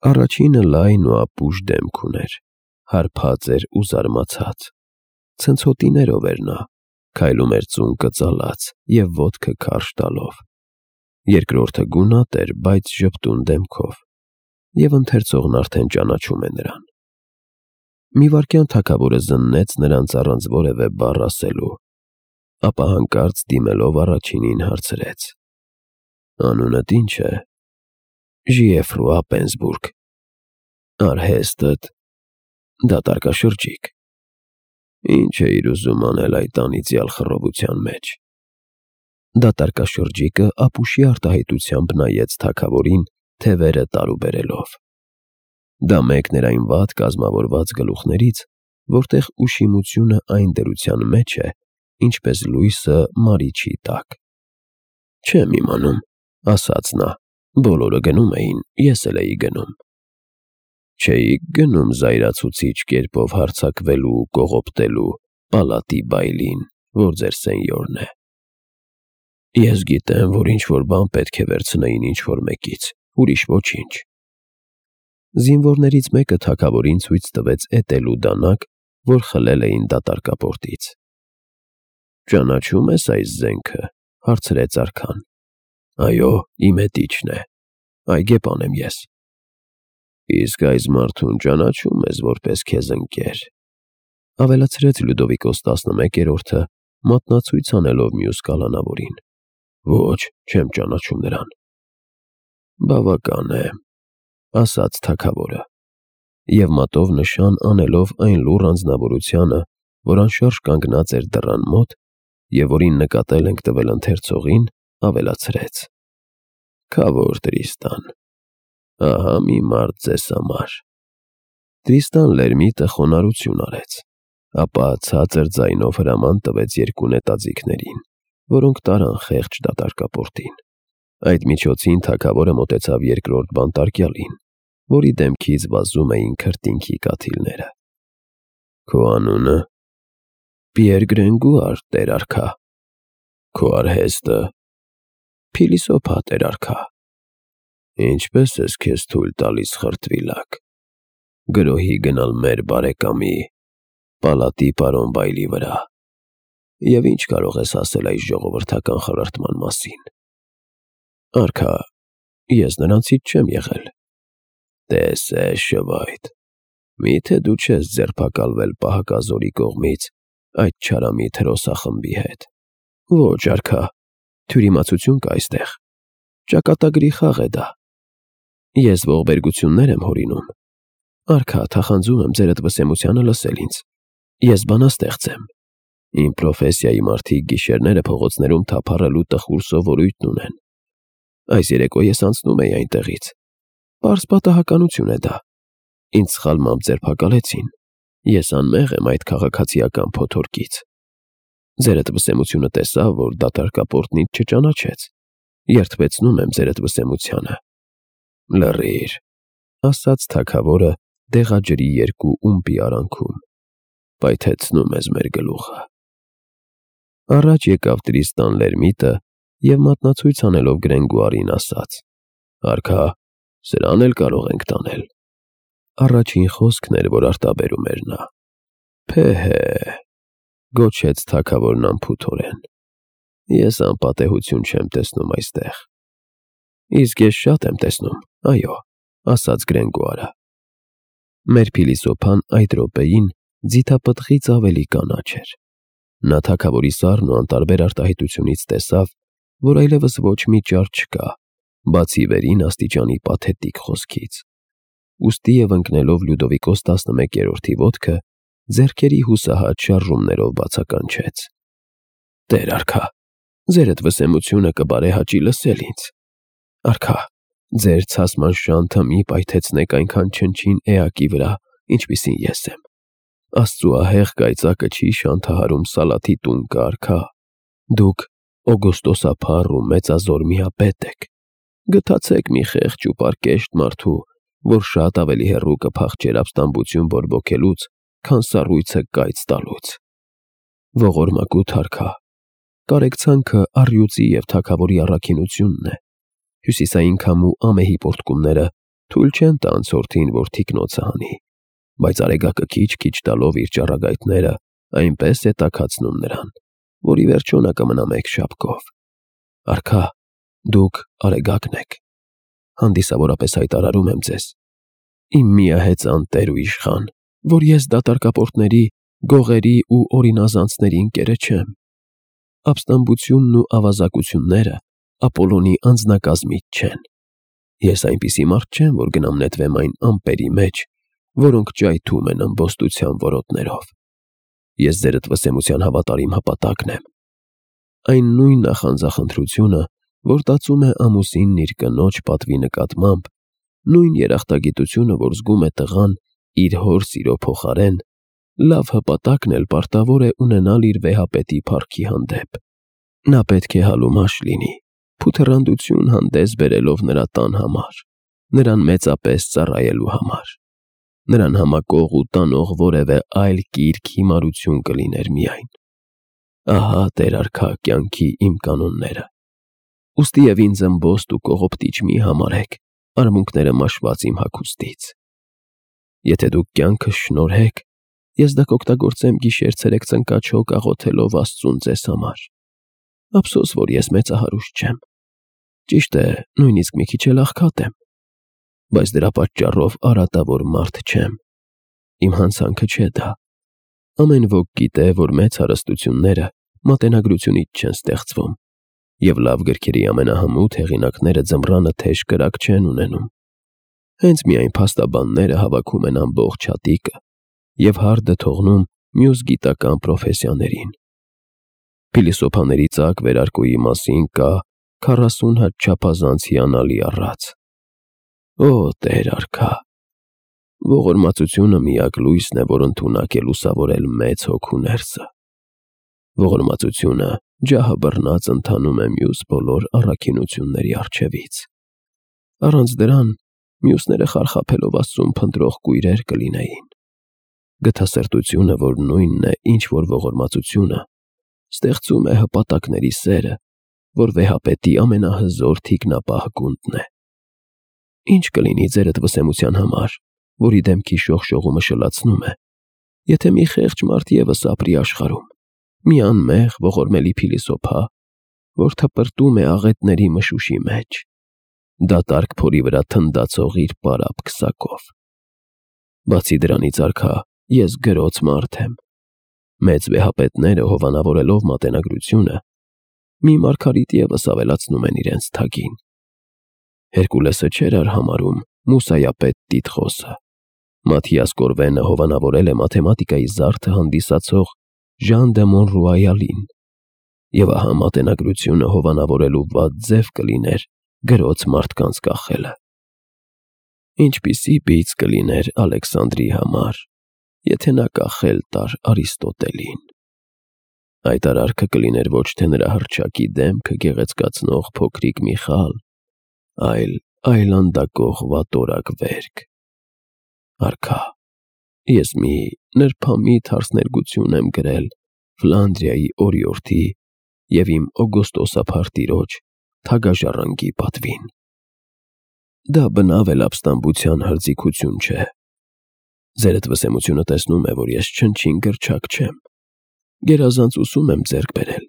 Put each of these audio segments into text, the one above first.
Առաջինը լայն ու ապուշ դեմք ուներ, հարբած էր ու զարմացած, ցնցոտիներով էր նա, քայլում էր ծունկը ծալած և ոտքը քարշ տալով, երկրորդը գունատ էր, բայց ժպտուն դեմքով, և ընթերցողն արդեն ճանաչում է նրան։ Մի վայրկյան թագավորը զննեց նրանց առանց որևէ բառ ասելու, ապա հանկարծ դիմելով առաջինին հարցրեց. «Անունդ ի՞նչ է»։ «Ժիեֆրուա Պենզբուրգ»։ «Արհեստդ»։ «Դատարկաշրջիկ»։ «Ինչ էիր ուզում անել այդ անիծյալ խռովության մեջ»։ Դատարկաշրջիկը ապուշի արտահայտությամբ նայեց թագավորին, թևերը տարուբերելով։ Դա մեկն էր այն վատ կազմավորված գլուխներից, որտեղ ուշիմությունը այն դրության մեջ է, ինչպես լույսը մարիչի տակ։ «Չեմ իմանում», ասաց նա, «բոլորը գնում էին, ես էլ էի գնում»։ «Չէիք գնում զայրացուցիչ կերպով հարձակվելու ու կողոպտելու պալատի բայլին, որ ձեր սենյորն է»։ «Ես գիտեմ, որ ինչ-որ բան պետք է վերցնեին ինչ-որ մեկից, ուրիշ ոչինչ»։ Զինվորներից մեկը թագավորին ցույց տվեց էտելու դանակ, որ խլել էին դատարկապորտից։ «Ճանաչո՞ւմ ես այս զենքը»։ հարցրեց արքան։ «Այո, իմ հետիչն է, այգեպան եմ ես»։ «Իսկ այս մարդուն ճանաչո՞ւմ ես որպես քեզ ընկեր», ավելացրեց Լյուդովիկոս 11-րդը, մատնացույց անելով մյուս կալանավորին։ «Ոչ, չեմ ճանաչում նրան»։ «Բավական է», ասաց թագավորը, և մատով նշան անելով այն լուռ անձնավորությանը, որ անշարժ կանգնած էր դռան մոտ և որին նկատել ենք տվել ընթերցողին, ավելացրեց. «Քավոր Տրիստան, ահա մի մարդ ձեզ համար»։ Տրիստան Լերմիտը խոնարհություն արեց, ապա ցածր ձայնով հրաման տվեց երկու նետաձիգներին, որոնք տարան խեղճ դատարկապորտին։ Այդ միջոցին թագավորը մոտեցավ երկրորդ բանտարկյալին, որի դեմքից վազում էին քրտինքի կաթիլները։ «Քո անունը»։ «Պիեր Գրենգուար, տեր արքա»։ «Քո արհեստը»։ «Փիլիսոփա, տեր արքա»։ «Ինչպե՞ս ես քեզ թույլ տալիս, խրտվիլակ, գրոհի գնալ մեր բարեկամի, պալատի պարոն Բայլի վրա, և ինչ կարող ես ասել այս ժողովրդական խրրտման մասին»։ «Արքա, ես նրանցից չեմ եղել»։ «Տես է, շվայտ, մի՞թե դու չես ձերբակալվել պահակազորի կողմից այդ չարամիտ հրոսախմբի հետ»։ «Ոչ, արքա, թյուրիմացություն կա այստեղ, ճակատագրի խաղ է դա։ Ես ողբերգություններ եմ հորինում։ Արքա, թախանձում եմ ձերդ վսեմությանը լսել ինձ։ Ես բանաստեղծ եմ։ Իմ պրոֆեսիայի մարդիկ գիշերները փողոցներում թափառելու տխուր սովորույթն ունեն։ Այս երեկո ես անցնում էի այնտեղից։ Պարզ պատահականություն է դա։ Ինձ սխալմամբ ձերբակալեցին։ Ես անմեղ եմ այդ քաղաքացիական փոթորկից։ Ձերդ վսեմությունը տեսավ, որ դատարկապորտն ինձ չճանաչեց։ Երդվեցնում եմ ձերդ վսեմությանը»։ «Լռիր», ասաց թագավորը դեղաջրի երկու ումպի արանքում, «պայթեցնում ես մեր գլուխը»։ Առաջ եկավ Տրիստան Լերմիտը և մատնացույց անելով Գրենգուարին ասաց. «Արքա, սրան էլ կարող ենք տանել»։ Առաջին խոսքն էր, որ արտաբերում էր նա։ «Փեհե», գոչեց թագավորն անփութորեն, «ես անպատեհություն չեմ տեսնում այստեղ»։ «Իսկ ես շատ եմ տեսնում, այո», ասաց Գրենգուարը։ Մեր փիլիսոփան այդ րոպեին ձիթապտղից ավելի կանաչ էր։ Նա թագավորի սառն ու անտարբեր արտահայտությունից տեսավ, որ այլևս ոչ մի ճար չկա, բացի վերին աստիճանի պաթետիկ խոսքից։ Ուստի և ընկնելով Լյուդովիկոս 11-րդի ոտքը, ձեռքերի հուսահատ շարժումներով բացականչեց. «Տեր արքա, ձերդ վսեմությունը կբարեհաճի լսել ինձ։ Արքա, ձեր ցասման շանթը մի պայթեցնեք այնքան չնչին էակի վրա, ինչպիսին ես եմ։ Աստծու ահեղ կայծակը չի շանթահարում Սալաթի տունկը, արքա։ Դուք օգոստոսափառ ու մեծազոր միապետ եք։ Գթացեք մի խեղճ ու պարկեշտ մարդու, որ շատ ավելի հեռու կփախչեր ապստամբություն բորբոքելուց, քան սառույցը կայծ տալուց։ Ողորմակուտ արքա, կարեկցանքը առյուծի և թագավորի առաքինությունն է։ Հյուսիսային քամու ամեհի պոռթկումները Թույլ չեն տա անցորդին, որ թիկնոցը հանի, բայց արեգակը քիչ-քիչ տալով իր ճառագայթները այնպես է տաքացնում նրան, որ ի վերջո նա կմնա մեկ շապկով։ Արքա, դուք արեգակն եք, հանդիսավորապես հայտարարում եմ ձեզ, իմ միահեծան տեր ու իշխան, որ ես դատարկապորտների, գողերի ու օրինազանցների ընկերը չեմ։ Ապստամբությունն ու ավազակությունները Ապոլոնի անձնակազմից չեն։ Ես այնպիսի մարդ չեմ, որ գնամ նետվեմ այն ամպերի մեջ, որոնք ճայթում են ըմբոստության որոտներով։ Ես ձերդ վսեմության հավատարիմ հպատակն եմ։ Այն նույն նախանձախնդրությունը, որ տածում է ամուսինն իր կնոջ պատվի նկատմամբ, նույն երախտագիտությունը, որ զգում է տղան իր հոր սիրո փոխարեն, լավ հպատակն էլ պարտավոր է ունենալ իր վեհապետի փառքի հանդեպ։ Նա պետք է հալումաշ լինի, փութռանդություն հանդես բերելով նրա տան համար, նրան մեծապես ծառայելու համար։ Նրան համակող ու տանող որևէ այլ կիրք հիմարություն կլիներ միայն։ Ահա Տեր արքա կյանքի իմ կանոնները։ Ուստիև ինձ ըմբոստ ու կողոպտիչ մի համարեք, արմունկները մաշված իմ հագուստից։ Եթե դուք կյանքս շնորհեք, ես դա կօգտագործեմ գիշեր-ցերեկ ծնկաչոք աղոթելով Աստծուն ձեզ համար։ Ափսոս, որ ես մեծահարուստ չեմ։ Ճիշտ է, նույնիսկ մի քիչ էլ աղքատ եմ, բայց դրա պատճառով արատավոր մարդ չեմ։ Իմ հանցանքը չէ դա։ Ամեն ոք գիտե, որ մեծ հարստությունները մատենագրությունից չեն ստեղծվում, և լավ գրքերի ամենահմուտ հեղինակները ձմռանը թեժ կրակ չեն ունենում։ Հենց միայն փաստաբանները հավաքում են ամբողջ հատիկը և հարդը թողնում մյուս գիտական պրոֆեսիաներին։ Փիլիսոփաների ծակ վերարկուի մասին կա 40 հատ չափազանց հիանալի առած։ Օ, Տեր արքա, ողորմածությունը միակ լույսն է, որ ընդունակ է լուսավորել մեծ հոգու ներսը։ Ողորմածությունը ջահը բռնած ընթանում է մյուս բոլոր առաքինությունների առջևից։ Առանց դրան մյուսները խարխափելով Աստծուն փնտրող կույրեր կլինեին։ Գթասրտությունը, որ նույնն է, ինչ որ ողորմածությունը, ստեղծում է հպատակների սերը, որ վեհապետի ամենահզոր թիկնապահ գունդն է։ Ինչ կլինի ձերդ վսեմության համար, որի դեմքի շողշողումը շլացնում է, եթե մի խեղճ մարդ ևս ապրի աշխարհում, մի անմեղ ողորմելի փիլիսոփա, որ թպրտում է աղետների մշուշի մեջ, դատարկ փորի վրա թնդացող իր պարապ քսակով։ Բացի դրանից, արքա, ես գրոց մարդ եմ։ Մեծ վեհապետները, հովանավորելով մատենագրությունը, մի մարգարիտ ևս ավելացնում են իրենց թագին։ Հերկուլեսը չէր արհամարհում Մուսայապետ Տիտխոսը։ Մաթիաս Կորվենը հովանավորել է մաթեմատիկայի զարդը հանդիսացող Ժան դե Մոնրուայալին, և ահա մատենագրությունը հովանավորելու վատ ձև կլիներ գրոց մարդկանց կախելը։ Ինչպիսի բիծ կլիներ Ալեքսանդրի համար, եթե նա կախել տար Արիստոտելին։ Այդ արարքը կլիներ ոչ թե նրա հռչակի դեմքը գեղեցկացնող փոքրիկ Միխալ, այլ այլանդակող վատորակ վերք։ Արքա, ես մի նրբամիտ հարսներգություն եմ գրել Ֆլանդրիայի օրիորդի և իմ օգոստոսափառ տիրոջ թագաժառանգի պատվին։ Դա բնավ էլ ապստամբության հրձիգություն չէ։ Ձերդ վսեմությունը տեսնում է, որ ես չնչին գրչակ չեմ։ Գերազանց ուսում եմ ձեռք բերել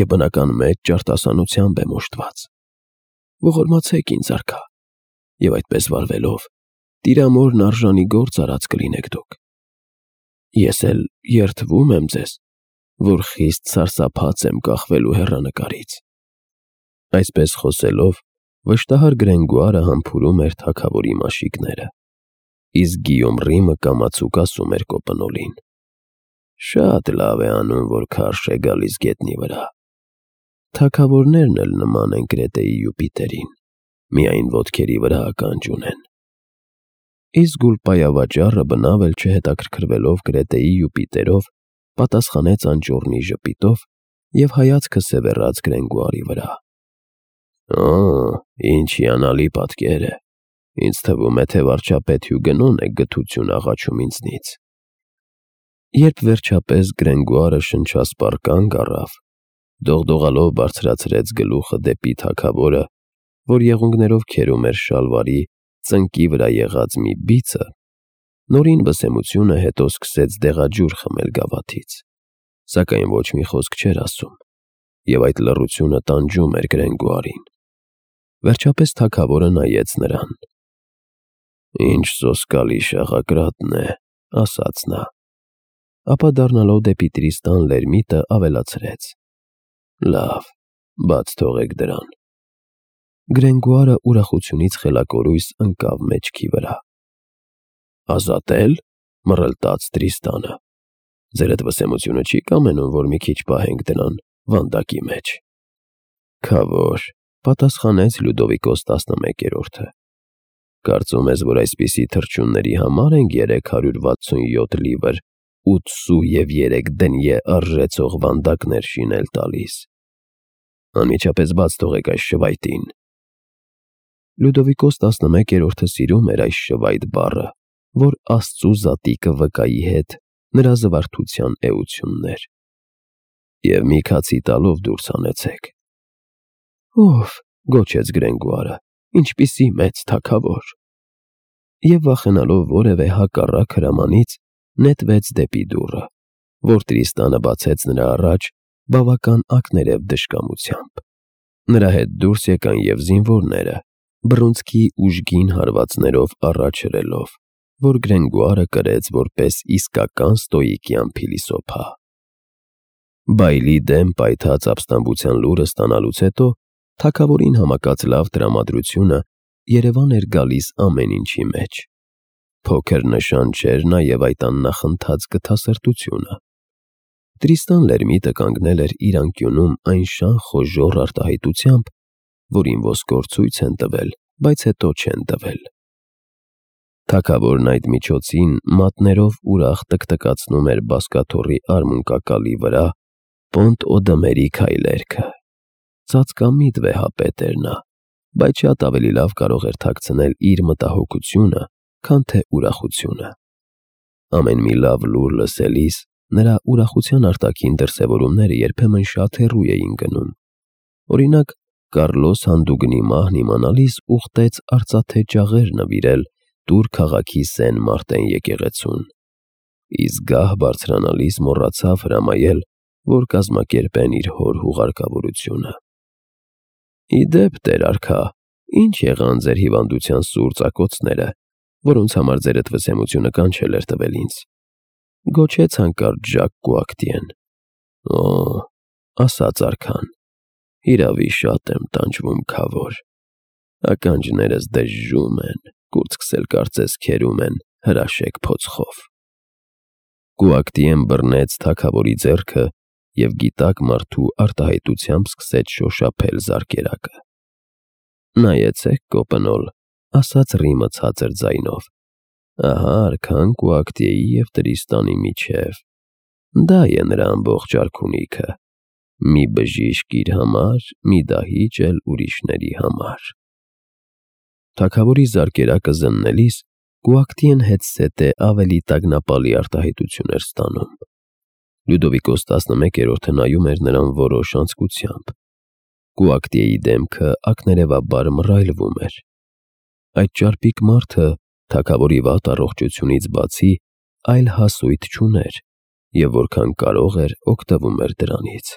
և բնական մեծ ջարդասանությամբ եմ օժտված։ Ողորմացեք ինձ, արքա, և այդպես վարվելով, տիրամորն արժանի գործ արած կլինեք դուք։ Ես էլ երդվում եմ ձեզ, որ խիստ սարսափած եմ կախվելու հեռանկարից։ Այսպես խոսելով, վշտահար Գրենգուարը համբուրում էր թագավորի մաշիկները, իսկ Գիյոմ Ռիմը կամացուկ ասում էր կոպնոլին. «Շատ լավ է անում, որ քարշ է գալիս գետնի վրա։ Թագավորներն էլ նման են Կրետեի Յուպիտերին, միայն ոտքերի վրա ականջ ունեն»։ Իսկ Գուլպայավաճառը բնավ էլ չհետաքրքրվելով Կրետեի Յուպիտերով, պատասխանեց անճոռնի ժպիտով և հայացքը սևեռաց Գրենգուարի վրա։ Ինչ հիանալի պատկեր է։ Ինձ թվում է, թե վարչապետ Հյուգենոն է գթություն աղաչում ինձնից։ Երբ վերջապես Գրենգուարը շնչասպառ կանգ առավ, դողդողալով բարձրացրեց գլուխը դեպի թագավորը, որ եղունգներով քերում էր շալվարի ծնկի վրա եղած մի բիծը, նորին վսեմությունը հետո սկսեց դեղաջուր խմել գավաթից, սակայն ոչ մի խոսք չէր ասում, և այդ լռությունը տանջում էր Գրենգոարին։ Վերջապես թագավորը նայեց նրան։ «Ինչ սոսկալի շաղակրատն է», ասաց նա, ապա դառնալով դեպի Տրիստան Լերմիտը ավելացրեց. «Լավ, բաց թողեք դրան»։ Գրենգոարը ուրախությունից խելակորույս ընկավ մեջքի վրա։ «Ազատե՞լ», մռլտաց Տրիստանը։ «Ձերդ վսեմությունը չի կամենում, որ մի քիչ պահենք դրան վանդակի մեջ»։ «Քավոր», պատասխանեց Լյուդովիկոս 11-րդը։ «Կարծում ես, որ այսպիսի թռչունների համար ենք 367 լիվր 83 դնյե արժեցող վանդակներ շինել տալիս։ Անմիջապես բաց թողեք այս շվայտին»։ Լյուդովիկոս 11-րդը սիրում էր այս շվայտ բառը, որ Աստծու զատիկը վկայի հետ նրա զվարթության էությունն էր։ «Եվ մի քացի տալով դուրս հանեցեք»։ «Ով», գոչեց Գրենգոարը, «ինչպիսի մեծ թագավոր»։ Եվ վախենալով որևէ հակառակ հրամանից, նետվեց դեպի դուռը, որ Տրիստանը բացեց նրա առաջ բավական ակներև դժկամությամբ։ Նրա հետ դուրս եկան և զինվորները, բռունցքի ուժգին հարվածներով առաջ հրելով, որ Գրենգոարը կրեց որպես իսկական ստոիկյան փիլիսոփա։ Բայլի դեմ պայթած ապստամբության լուրը ստանալուց հետո թագավորին համակած լավ տրամադրությունը երևան էր գալիս ամեն ինչի մեջ։ Փոքր նշան չէր նաև այդ աննախընթաց գթասրտությունը։ Տրիստան Լերմիտը կանգնել էր իր անկյունում այնշան խոժոռ արտահայտությամբ, որին ոսկոր ցույց են տվել, բայց հետո չեն տվել։ Թագավորն այդ միջոցին մատներով ուրախ տկտկացնում էր բազկաթոռի արմունկակալի վրա Պոնտ Օդոմերի քայլերքը։ Ծածկամիտ վեհապետ էր նա, բայց շատ ավելի լավ կարող էր թաքցնել իր մտահոգությունը, քան թե ուրախությունը։ Ամեն մի լավ լուր լսելիս նրա ուրախության արտաքին դրսևորումները երբեմն շատ հեռու էին գնում։ Օրինակ, Կառլոս Հանդուգնի մահն իմանալիս ուխտեց արծաթե ջաղեր նվիրել Տուր քաղաքի Սեն Մարտեն եկեղեցուն, իսկ գահ բարձրանալիս մոռացավ հրամայել, որ կազմակերպեն իր հոր հուղարկավորությունը։ «Ի դեպ, Տեր արքա, ինչ եղան ձեր հիվանդության սուր ծակոցները, որոնց համար ձերդ վսեմությունը կանչել էր տվել ինձ», գոչեց հանկարծ Ժակ Կուակտիեն։ «Օ», ասաց արքան, «հիրավի շատ եմ տանջվում, քավոր։ Ականջներս դժժում են, կուրծքս էլ կարծես քերում են հրաշեկ փոցխով»։ Կուակտիեն բռնեց թագավորի ձեռքը և գիտակ մարդու արտահայտությամբ սկսեց շոշափել զարկերակը։ «Նայեցեք, կոպնոլ», ասաց Ռիմը ցածր ձայնով, «ահա արքան Կուակտիեի և Տրիստանի միջև։ Դա է նրա ամբողջ արքունիքը, մի բժիշկ իր համար, մի դահիճ էլ ուրիշների համար»։ Թագավորի զարկերակը զննելիս Կուակտիեն հետզհետե ավելի տագնապալի արտահայտություն էր ստանում։ Լյուդովիկոս 11-րդը նայում էր նրան որոշ անձկությամբ։ Կուակտիեի դեմքը ակներևաբար մռայլվում էր։ Այդ ճարպիկ մարդը թագավորի վատ առողջությունից բացի այլ հասույթ չուներ և որքան կարող էր օգտվում էր դրանից։